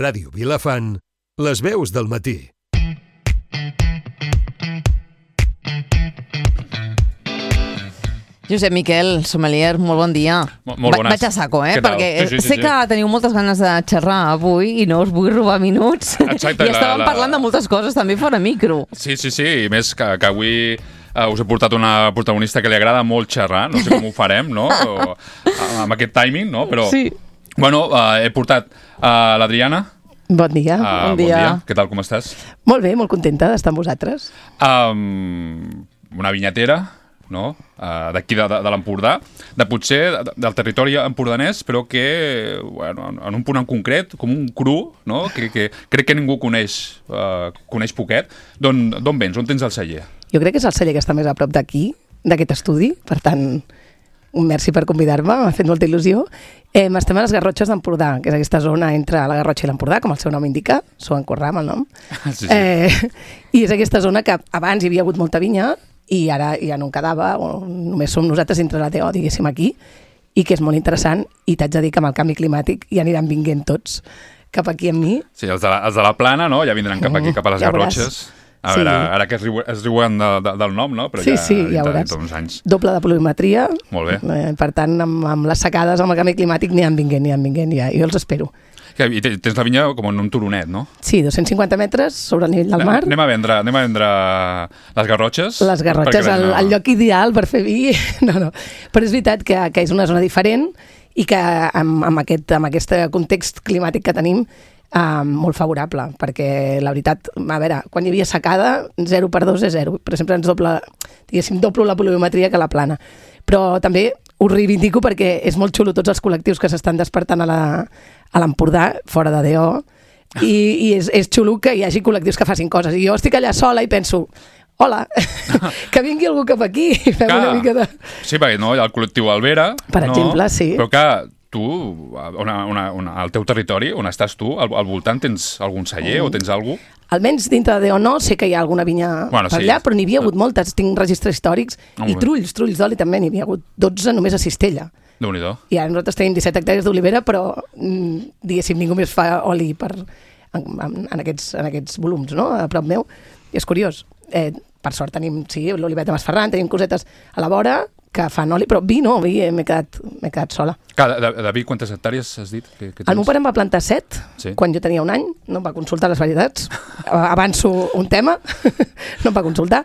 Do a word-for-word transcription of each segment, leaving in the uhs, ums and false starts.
Ràdio Vilafant, les veus del matí. Josep Miquel, sommelier, molt bon dia. Molt, molt bones. Vaig a saco, eh? Què tal? Perquè Sí, sí, sí, sé sí. que teniu moltes ganes de xerrar avui i no us vull robar minuts. Exacte, I la- estàvem la- parlant de moltes coses també fora micro. Sí, sí, sí, i més que, que avui uh, us he portat una protagonista que li agrada molt xerrar, no sé com ho farem, no? O, amb aquest timing, no? Però, Sí. bueno, uh, he portat uh, l'Adriana. Bon dia. Uh, Bon dia. Què tal, com estàs? Molt bé, molt contenta d'estar amb vosaltres. Um, una vinyatera, no? Uh, d'aquí de, de, de l'Empordà, de potser de, del territori empordanès, però que, bueno, en un punt en concret, com un cru, no? Que, que crec que ningú coneix, uh, coneix poquet. D'on d'on vens? On tens el celler? Jo crec que és el celler que està més a prop d'aquí, d'aquest estudi, per tant, un merci per convidar-me, m'ha fet molta il·lusió. Eh, estem a les Garrotxes d'Empordà, que és aquesta zona entre la Garrotxa i l'Empordà, com el seu nom indica, s'ho encorram el nom. Sí, sí. Eh, I és aquesta zona que abans hi havia hagut molta vinya, i ara ja no en quedava, o només som nosaltres entre la T O, diguéssim, aquí, i que és molt interessant, i t'haig de dir que amb el canvi climàtic ja aniran vinguent tots cap aquí amb mi. Sí, els de la, els de la plana, no? Ja vindran cap aquí, cap a les Ja veuràs. Garrotxes. A Sí. veure, ara que es, riu, es riuen de, de, del nom, no? Però Sí, ja, sí, ja dintre, veuràs. dintre d'uns anys. Doble de pluviometria. Molt bé. Eh, per tant, amb, amb les secades, amb el canvi climàtic, n'hi han vinguent, n'hi han vinguent, ja. Jo els espero. Que, I te- tens la vinya com en un turonet, no? Sí, dos-cents cinquanta metres sobre el nivell del mar. Anem a vendre, anem a vendre les Garrotxes. Les Garrotxes, perquè el, no- el lloc ideal per fer vi. No, no. Però és veritat que, que és una zona diferent i que amb, amb, aquest, amb aquest context climàtic que tenim, eh, molt favorable, perquè la veritat, a veure, quan hi havia secada, zero per dos és zero, però sempre ens doble, diguéssim, doblo la pluviometria que la plana. Però també ho reivindico perquè és molt xulo tots els col·lectius que s'estan despertant a la- a l'Empordà, fora de D O, i, i és, és xulo que hi hagi col·lectius que facin coses. I jo estic allà sola i penso, hola, que vingui algú cap aquí i fem Clar. una mica de... Sí, perquè no, hi ha el col·lectiu Albera. Per no? exemple, sí. Però que tu, una, una, una, al teu territori, on estàs tu, al, al voltant tens algun celler Mm. o tens algú? Almenys dintre de D O no, sé que hi ha alguna vinya Bueno, per sí. allà, però n'hi havia hagut moltes. Tinc registres històrics Ah, molt i bé. trulls, trulls d'oli també, n'hi havia hagut dotze només a Cistella. Déu-n'hi-do. I ara nosaltres tenim disset hectàrees d'olivera, però mm, diguéssim, ningú més fa oli per, en, en, en, aquests, en aquests volums, no?, a prop meu. I és curiós. Eh, per sort tenim, sí, l'olivet de Masferran, tenim cosetes a la vora que fan oli, però vi no, vi eh, m'he quedat, m'he quedat sola. Clar, de, de vi, quantes hectàrees has dit? Que, que tens? El meu pare em va plantar set, Sí. quan jo tenia un any, no em va consultar les varietats, avanço un tema, no em va consultar,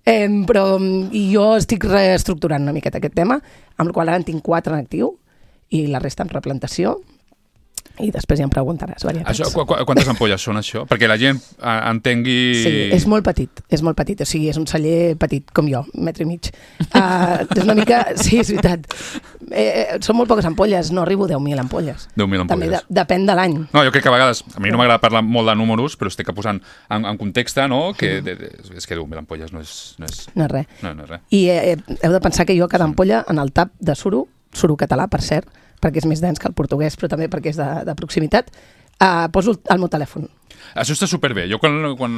eh, però i jo estic reestructurant una miqueta aquest tema, amb el qual ara en tinc quatre en actiu, i la resta en replantació, i després ja em preguntaràs varietats. Això, qu qu quantes ampolles són, això? Perquè la gent eh, entengui... Sí, és molt petit, és molt petit, o sigui, és un celler petit, com jo, un metre i mig. Uh, és una mica... Sí, és veritat. Eh, eh, són molt poques ampolles, no arribo a deu mil ampolles. deu mil També ampolles. de, depèn de l'any. No, jo crec que a vegades, a mi no m'agrada parlar molt de números, però estic posant en, en context, no?, que de, de, és que deu mil ampolles no és, no és, No és res. no, no és res. I eh, heu de pensar que jo a cada ampolla, en el tap de suro, suro català, per cert, perquè és més dens que el portuguès, però també perquè és de, de proximitat, eh, poso el meu telèfon. Això està superbé. Jo quan, quan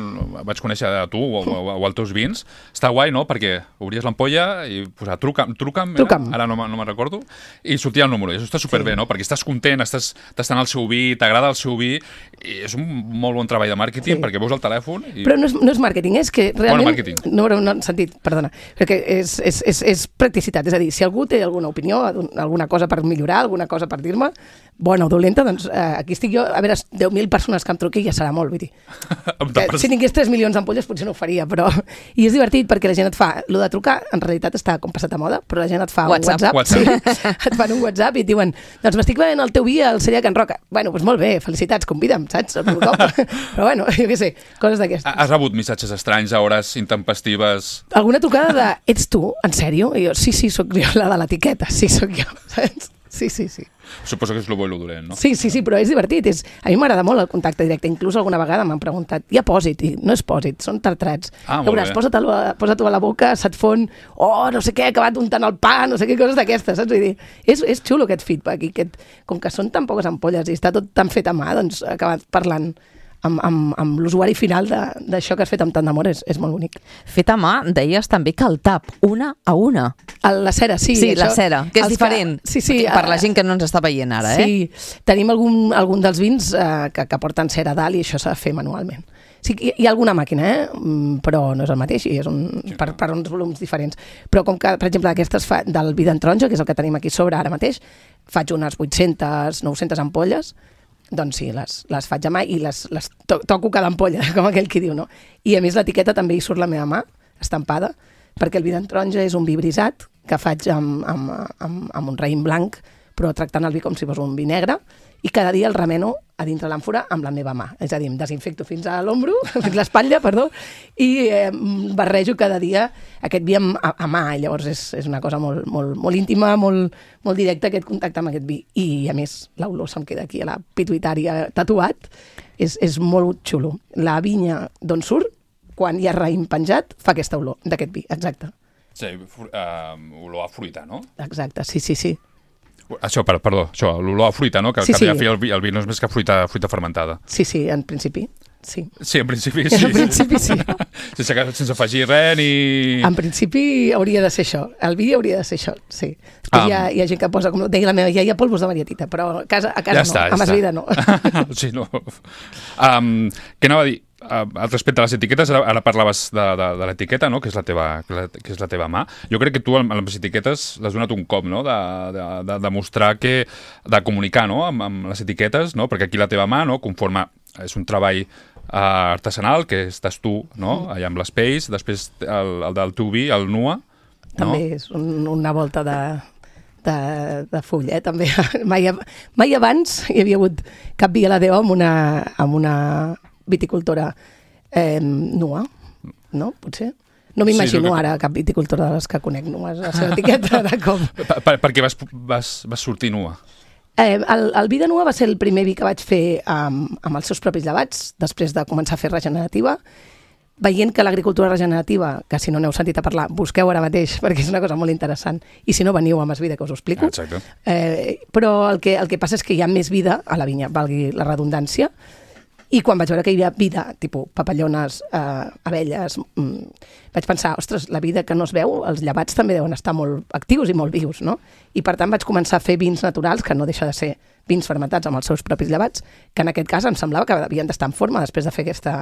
vaig conèixer a tu o, o, o els teus vins, està guai, no?, perquè obries l'ampolla i posar truca'm, truca'm, era? Truca'm. Ara no, me- no me'n recordo, i sortia el número. I això està superbé, Sí. no?, perquè estàs content, estàs tastant el seu vi, t'agrada el seu vi, i és un molt bon treball de màrqueting, Sí. perquè veus el telèfon i... Però no és, no és màrqueting, és que realment... màrqueting. No, no, no, en sentit, perdona, perquè és, és, és, és practicitat, és a dir, si algú té alguna opinió, alguna cosa per millorar, alguna cosa per dir-me, bona o dolenta, doncs eh, aquí estic jo, a veure, deu mil persones que em truqui ja serà molt, vull dir. Em Eh, tapes- si tingués tres milions d'ampolles potser no ho faria, però... I és divertit perquè la gent et fa... Lo de trucar, en realitat està com passat a moda, però la gent et fa WhatsApp. un WhatsApp, WhatsApp. sí, et fan un WhatsApp i et diuen doncs m'estic veient el teu vi al celler Can Roca. Bueno, doncs molt bé, felicitats, convida'm, saps? El meu cop. Però bueno, jo què sé, coses d'aquestes. Has rebut missatges estranys a hores intempestives? Alguna trucada de, ets tu, en sèrio? I jo, sí, sí, sóc jo, la de l'etiqueta, sí, sóc jo, saps? Sí, sí, sí. Suposo que és lo bo i lo dolent, no? Sí, sí, sí, però és divertit. És... A mi m'agrada molt el contacte directe. Inclús alguna vegada m'han preguntat, hi ha pòsit? I no és pòsit, són tartrats. Ah, molt Veuràs, bé. posa-t'ho a, posa a la boca, se't fon, oh, no sé què, he acabat untant el pa, no sé què, coses d'aquestes, saps? Vull dir, és, és xulo aquest feedback. I aquest, com que són tan poques ampolles i està tot tan fet a mà, doncs he acabat parlant amb, amb, amb l'usuari final d'això que has fet amb tant d'amor, és, és molt bonic. Fet a mà, deies també que el tap, una a una. El, la cera, sí. Sí, això, la cera, que és diferent. Que, sí, sí, per la gent que no ens està veient ara, sí, eh? Sí, tenim algun, algun dels vins eh, que, que porten cera a dalt i això s'ha de fer manualment. Sí, hi, hi ha alguna màquina, eh? però no és el mateix i és un, per, per uns volums diferents. Però com que, per exemple, aquestes fa, del vi d'en taronja, que és el que tenim aquí sobre ara mateix, faig unes vuit-centes, nou-centes ampolles, doncs sí, les, les faig a mà i les, les to toco cada ampolla, com aquell qui diu, no? I a més l'etiqueta també hi surt la meva mà, estampada, perquè el vi d'en taronja és un vi brisat que faig amb, amb, amb, amb un raïm blanc, però tractant el vi com si fos un vi negre, i cada dia el remeno a dintre l'àmfora amb la meva mà. És a dir, em desinfecto fins a l'ombro, fins a l'espatlla, perdó, i eh, barrejo cada dia aquest vi amb, a, a mà. Llavors és, és una cosa molt, molt, molt íntima, molt, molt directa, aquest contacte amb aquest vi. I, a més, l'olor se'm queda aquí a la pituïtària tatuat. És, és molt xulo. La vinya d'on surt, quan hi ha raïm penjat, fa aquesta olor d'aquest vi, exacte. Sí, uh, olor a fruita, no? Exacte, sí, sí, sí. Això, per, perdó, això, l'olor a fruita, no? Que, sí, que sí. el, vi, el vi no és més que fruita, fruita fermentada. Sí, sí, en principi, sí. Sí, en principi sí. En principi sí. sense, sense afegir res ni... En principi hauria de ser això. El vi hauria de ser això, sí. Després um. hi, ha, hi ha gent que posa, com deia la meva iaia, polvos de marietita, però a casa, a casa ja no, està, ja a Masvida no. sí, no. Um, què anava a dir? Uh, respecte a les etiquetes, ara, ara parlaves de, de, de l'etiqueta, no? que, és la teva, que és la teva mà. Jo crec que tu amb les etiquetes l'has donat un cop, no? de, de, de, de mostrar que, de comunicar, no? amb, amb les etiquetes, no? perquè aquí la teva mà, no? conforme és un treball uh, artesanal, que estàs tu, no? mm. allà amb les pells, després el, el del teu vi, el Nua. També no? és un, una volta de... De, de full, eh? també. Mai, mai abans hi havia hagut cap vi a la Déu amb una, amb una viticultora eh, nua, no? Potser? No m'imagino sí, que... ara cap viticultora de les que conec nues, la seva etiqueta de cop. Per, per, perquè vas, vas, vas sortir nua? Eh, el, el vi de nua va ser el primer vi que vaig fer amb, amb els seus propis llevats, després de començar a fer regenerativa, veient que l'agricultura regenerativa, que si no n'heu sentit a parlar, busqueu ara mateix, perquè és una cosa molt interessant, i si no veniu a Masvida, que us ho explico. Exacte. Eh, però el que, el que passa és que hi ha més vida a la vinya, valgui la redundància, i quan vaig veure que hi havia vida, tipus papallones, eh, abelles, mm, vaig pensar, ostres, la vida que no es veu, els llevats també deuen estar molt actius i molt vius, no? I per tant vaig començar a fer vins naturals, que no deixa de ser vins fermentats amb els seus propis llevats, que en aquest cas em semblava que havien d'estar en forma després de fer aquesta,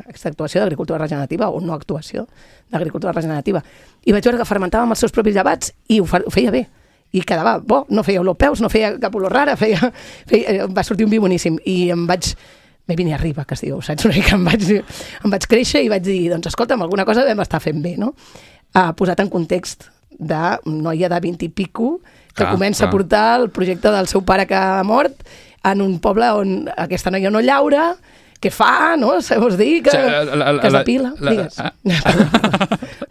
aquesta actuació d'agricultura regenerativa o no actuació d'agricultura regenerativa. I vaig veure que fermentava amb els seus propis llevats i ho, fa, ho feia bé. I quedava bo, no feia olor peus, no feia cap olor rara, feia, feia, va sortir un vi boníssim. I em vaig... me vine arriba, que es diu, saps? Una mica em vaig, em vaig créixer i vaig dir, doncs escolta'm, alguna cosa vam estar fent bé, no? Uh, posat en context de noia de vint i pico que clar, comença clar. a portar el projecte del seu pare que ha mort en un poble on aquesta noia no llaura, què fa, no? Vols dir que, o sigui, la, la, que es depila? La, digues. La,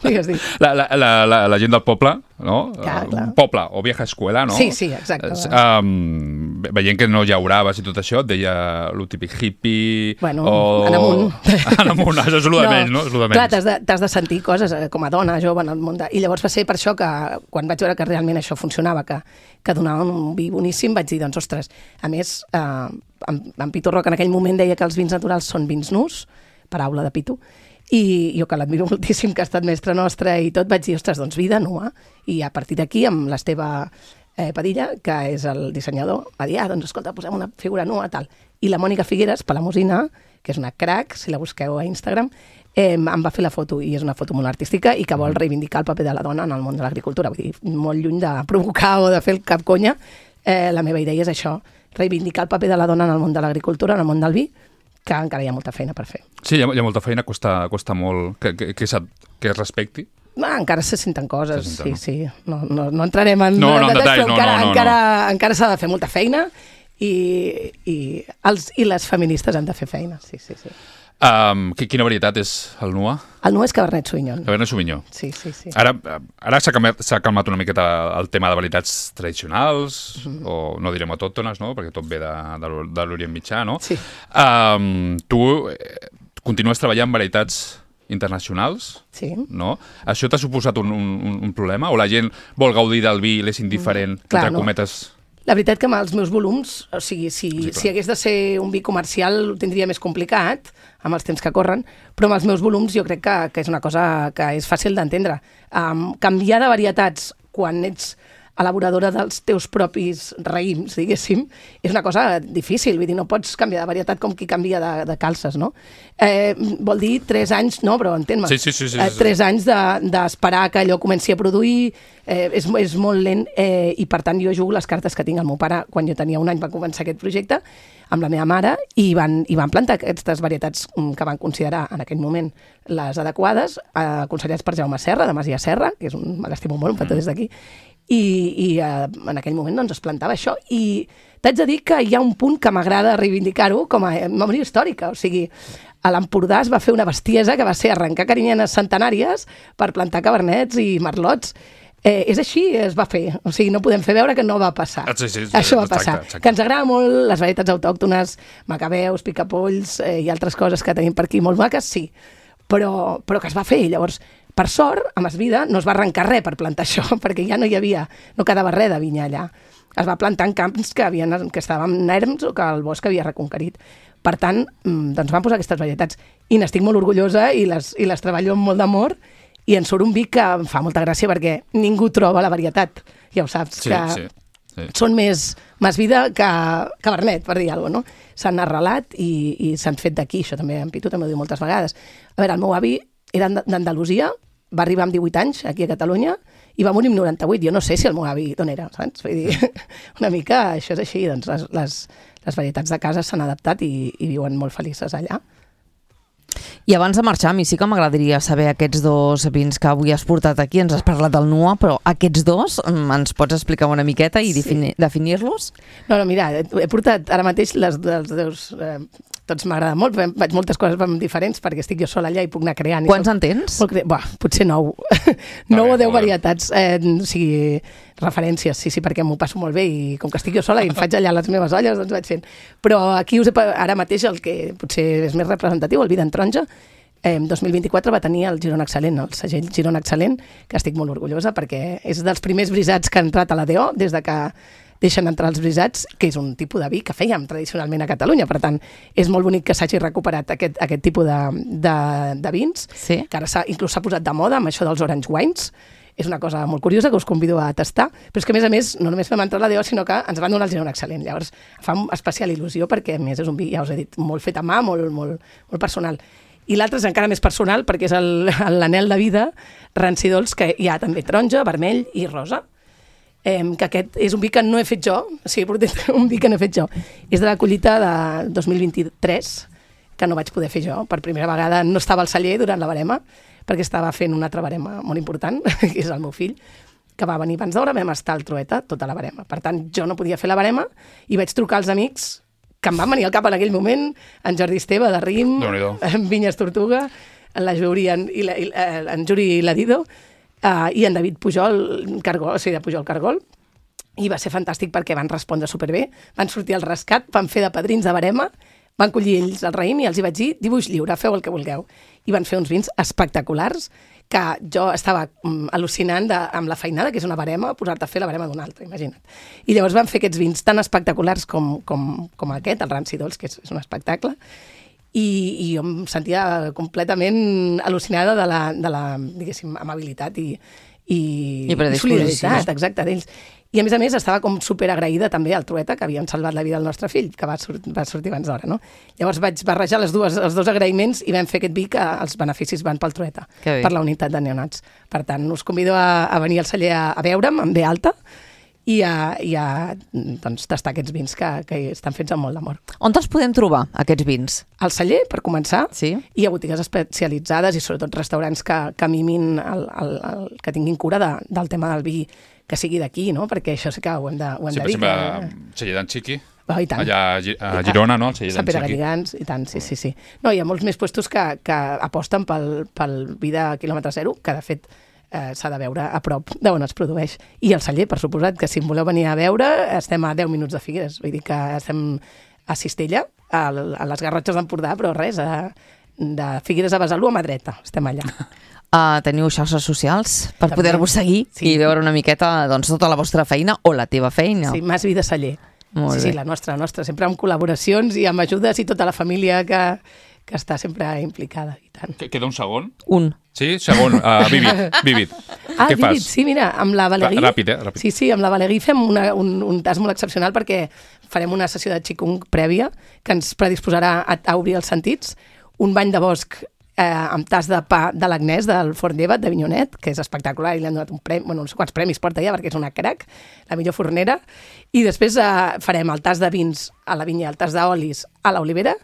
digues, digues. La, la, la, la, la gent del poble, no? Ja, clar. Poble o vieja escuela, no? Sí, sí, exacte. Um, veient que no llauraves i tot això, et deia lo típic hippie... Bueno, o... en amunt. En amunt, això és el de menys, no? És el de menys. Clar, t'has de, t'has de sentir coses com a dona, jove, en el món de... I llavors va ser per això que, quan vaig veure que realment això funcionava, que, que donaven un vi boníssim, vaig dir, doncs, ostres, a més... Eh, en, en Pitu Roca en aquell moment deia que els vins naturals són vins nus, paraula de Pitu, i jo que l'admiro moltíssim, que ha estat mestre nostre i tot, vaig dir, ostres, doncs vida nua. I a partir d'aquí, amb l'Esteve eh, Padilla, que és el dissenyador, va dir, ah, doncs escolta, posem una figura nua, tal. I la Mònica Figueres, Palamosina, que és una crac, si la busqueu a Instagram, eh, em va fer la foto, i és una foto molt artística, i que vol reivindicar el paper de la dona en el món de l'agricultura. Vull dir, molt lluny de provocar o de fer el cap conya, eh, la meva idea és això, reivindicar el paper de la dona en el món de l'agricultura, en el món del vi, que encara hi ha molta feina per fer. Sí, hi ha, hi ha molta feina, costa, costa molt que, que, que, que es respecti. Ah, encara se senten coses, se senten, sí, no? sí. No, no, no entrarem en no, no, detalls, detall, però no, encara, no, no, encara, no. encara s'ha de fer molta feina i, i, els, i les feministes han de fer feina, sí, sí, sí. Um, quina varietat és el Nua? El Nua és Cabernet Sauvignon. Cabernet Sauvignon. Sí, sí, sí. Ara, ara s'ha calmat, s'ha calmat una miqueta el tema de varietats tradicionals, mm-hmm. o no direm autòctones, no? Perquè tot ve de, de, de l'Orient Mitjà, no? Sí. Um, tu eh, continues treballant en varietats internacionals, sí. no? Això t'ha suposat un, un, un problema? O la gent vol gaudir del vi i l'és indiferent, mm, clar, entre no. cometes... La veritat que amb els meus volums, o sigui, si, sí, si hagués de ser un vi comercial ho tindria més complicat, amb els temps que corren, però amb els meus volums jo crec que, que és una cosa que és fàcil d'entendre. Um, canviar de varietats quan ets elaboradora dels teus propis raïms, diguéssim, és una cosa difícil, vull dir, no pots canviar de varietat com qui canvia de, de calces, no? Eh, vol dir tres anys, no, però entén-me, sí, sí, sí, sí, sí. Eh, tres anys d'esperar de, que allò comenci a produir, eh, és, és molt lent, eh, i per tant jo jugo les cartes que tinc. El meu pare, quan jo tenia un any, va començar aquest projecte amb la meva mare i van, i van plantar aquestes varietats que van considerar en aquell moment les adequades, eh, aconsellats per Jaume Serra, de Masia Serra, que és un, l'estimo molt, un petó des d'aquí, i, i eh, en aquell moment doncs, es plantava això, i t'haig de dir que hi ha un punt que m'agrada reivindicar-ho com a memòria històrica, o sigui, a l'Empordà es va fer una bestiesa que va ser arrencar carinyenes centenàries per plantar cabernets i merlots. Eh, és així, es va fer, o sigui, no podem fer veure que no va passar. Sí, sí, sí, això va exacte, passar, exacte. Que ens agrada molt les varietats autòctones, macabeus, picapolls eh, i altres coses que tenim per aquí molt maques, sí, però, però que es va fer. Llavors, per sort, a Masvida no es va arrencar res per plantar això, perquè ja no hi havia, no quedava res de vinya allà. Es va plantar en camps que, havien, que estaven erms o que el bosc havia reconquerit. Per tant, doncs van posar aquestes varietats i n'estic molt orgullosa i les, i les treballo amb molt d'amor, i en surt un vi que em fa molta gràcia perquè ningú troba la varietat, ja ho saps, sí, que sí, sí. Són més Masvida que Cabernet, per dir alguna cosa, no? S'han arrelat i, i s'han fet d'aquí, això també en Pitu també ho diu moltes vegades. A veure, el meu avi era d'Andalusia, va arribar amb divuit anys aquí a Catalunya i va morir amb noranta-vuit. Jo no sé si el meu avi d'on era, saps? Vull dir, una mica això és així, doncs les, les, les varietats de casa s'han adaptat i, i viuen molt felices allà. I abans de marxar, a mi sí que m'agradaria saber aquests dos vins que avui has portat aquí, ens has parlat del Nua, però aquests dos ens pots explicar una miqueta i sí. definir-los? No, no, mira, he portat ara mateix les, els dos... Eh, tots m'agrada molt, vaig moltes coses diferents perquè estic jo sola allà i puc anar creant. Quants en tens? Molt cre... Buah, potser nou. nou o deu varietats. Eh, o sigui, referències, sí, sí, perquè m'ho passo molt bé i com que estic jo sola i em faig allà les meves olles, doncs vaig fent. Però aquí us he, ara mateix el que potser és més representatiu, el vi d'en Taronja, eh, dos mil vint-i-quatre va tenir el Girona Excel·lent, el segell Girona Excel·lent, que estic molt orgullosa perquè és dels primers brisats que han entrat a la D O des de que deixen entrar els brisats, que és un tipus de vi que fèiem tradicionalment a Catalunya. Per tant, és molt bonic que s'hagi recuperat aquest, aquest tipus de, de, de vins, sí. Que ara s'ha, inclús s'ha posat de moda amb això dels orange wines. És una cosa molt curiosa que us convido a tastar, però és que a més a més no només vam entrar a la D O, sinó que ens van donar el Girona Excel·lent. Llavors fa especial il·lusió perquè a més és un vi, ja us he dit, molt fet a mà, molt, molt, molt personal. I l'altre és encara més personal perquè és l'anel de vida Rancidols, que hi ha també taronja, vermell i rosa. Eh, que aquest és un vi que no he fet jo, o sigui, un vi que no he fet jo. És de la collita de dos mil vint-i-tres, que no vaig poder fer jo. Per primera vegada no estava al celler durant la barema, perquè estava fent una altra barema molt important, que és el meu fill, que va venir abans d'hora, vam estar al Trueta tota la barema. Per tant, jo no podia fer la barema i vaig trucar als amics que em van venir al cap en aquell moment, en Jordi Esteve de Rim, en Vinyes Tortuga, en la Juri, en, i la, en Juri i la Dido, Uh, i en David Pujol, Cargol, o sigui, de Pujol Cargol, i va ser fantàstic perquè van respondre superbé, van sortir al rescat, van fer de padrins de barema, van collir ells el raïm i els hi vaig dir, dibuix lliure, feu el que vulgueu. I van fer uns vins espectaculars que jo estava um, al·lucinant de, amb la feinada, que és una barema, posar-te a fer la barema d'un altre, imagina't. I llavors van fer aquests vins tan espectaculars com, com, com aquest, el Rancidols, que és, és un espectacle, I, i jo em sentia completament al·lucinada de la, de la diguéssim, amabilitat i, i, I, i solidaritat, exacte, d'ells. I a més a més estava com superagraïda també al Trueta, que havien salvat la vida del nostre fill, que va, sort, va sortir abans d'hora, no? Llavors vaig barrejar les dues, els dos agraïments i vam fer aquest vi que els beneficis van pel Trueta, per la unitat de neonats. Per tant, us convido a, a venir al celler a, a veure'm, amb ve alta, i a, i a doncs, tastar aquests vins que, que estan fets amb molt d'amor. On els podem trobar, aquests vins? Al celler, per començar, sí. I a botigues especialitzades i sobretot restaurants que, que mimin, el, el, el, que tinguin cura de, del tema del vi, que sigui d'aquí, no? Perquè això sí que ho hem de, ho hem sí, de dir. Sí, per exemple, que... celler d'en Xiqui, oh, allà a Girona, no? El celler d'en Xiqui. Gans, i tant, sí, sí, sí. No, hi ha molts més puestos que, que aposten pel, pel vi de quilòmetre zero, que de fet Eh, s'ha de veure a prop d'on es produeix. I el celler, per suposat, que si em voleu venir a veure, estem a deu minuts de Figueres. Vull dir que estem a Cistella, a, a les Garrotxes d'Empordà, però res, a, de Figueres a Besalú a mà dreta. Estem allà. Uh, teniu xarxes socials per També. poder-vos seguir Sí. i veure una miqueta doncs, tota la vostra feina o la teva feina. Sí, Mas Vida Celler. Molt sí, bé. sí, la nostra, la nostra, sempre amb col·laboracions i amb ajudes i tota la família que, que està sempre implicada. I tant. Que- Queda un segon. Un. Sí, segon. Uh, Vivid, Vivid. Ah, Què Vivid, fas? sí, mira, amb la Valegui... Rà- ràpid, eh, ràpid. Sí, sí, amb la Valegui fem una, un, un tas molt excepcional perquè farem una sessió de Qigong prèvia que ens predisposarà a, a obrir els sentits, un bany de bosc eh, amb tas de pa de l'Agnès, del Forn d'Evat, d'Avinyonet, que és espectacular, i li han donat un premi, bueno, no sé quants premis porta ja, perquè és una crac, la millor fornera, i després eh, farem el tas de vins a la vinya, el tas d'olis a l'Olivera,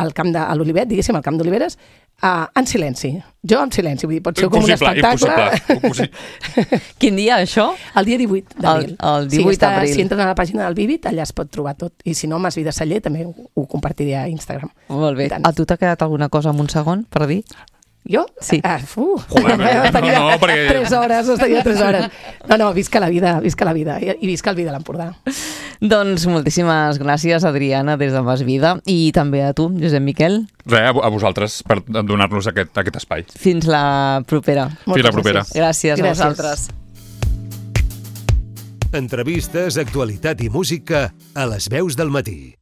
al camp de a l'Olivet, diguéssim, al camp d'Oliveres, uh, en silenci. Jo en silenci, vull dir, pot ser com un espectacle. Impossible, impossible. Quin dia, això? El dia divuit d'abril. El- el divuit sí, està, d'abril. Si entren a la pàgina del Vivid, allà es pot trobar tot. I si no, Mas Vida Celler també ho, ho compartiré a Instagram. Molt bé. I tant. A tu t'ha quedat alguna cosa en un segon per dir? Jo? Sí. Ah, fu. Joder, no, estaria no, perquè- tres hores, estaria tres hores. No, no, visca la vida, visca la vida. I, i visca el vi de l'Empordà. Doncs moltíssimes gràcies, Adriana, des de Mas Vida, i també a tu, Josep Miquel. Res, a vo- a vosaltres per donar-nos aquest, aquest espai. Fins la propera. Fins la propera. Gràcies, Gràcies. a vosaltres. Entrevistes, actualitat i música a les veus del matí.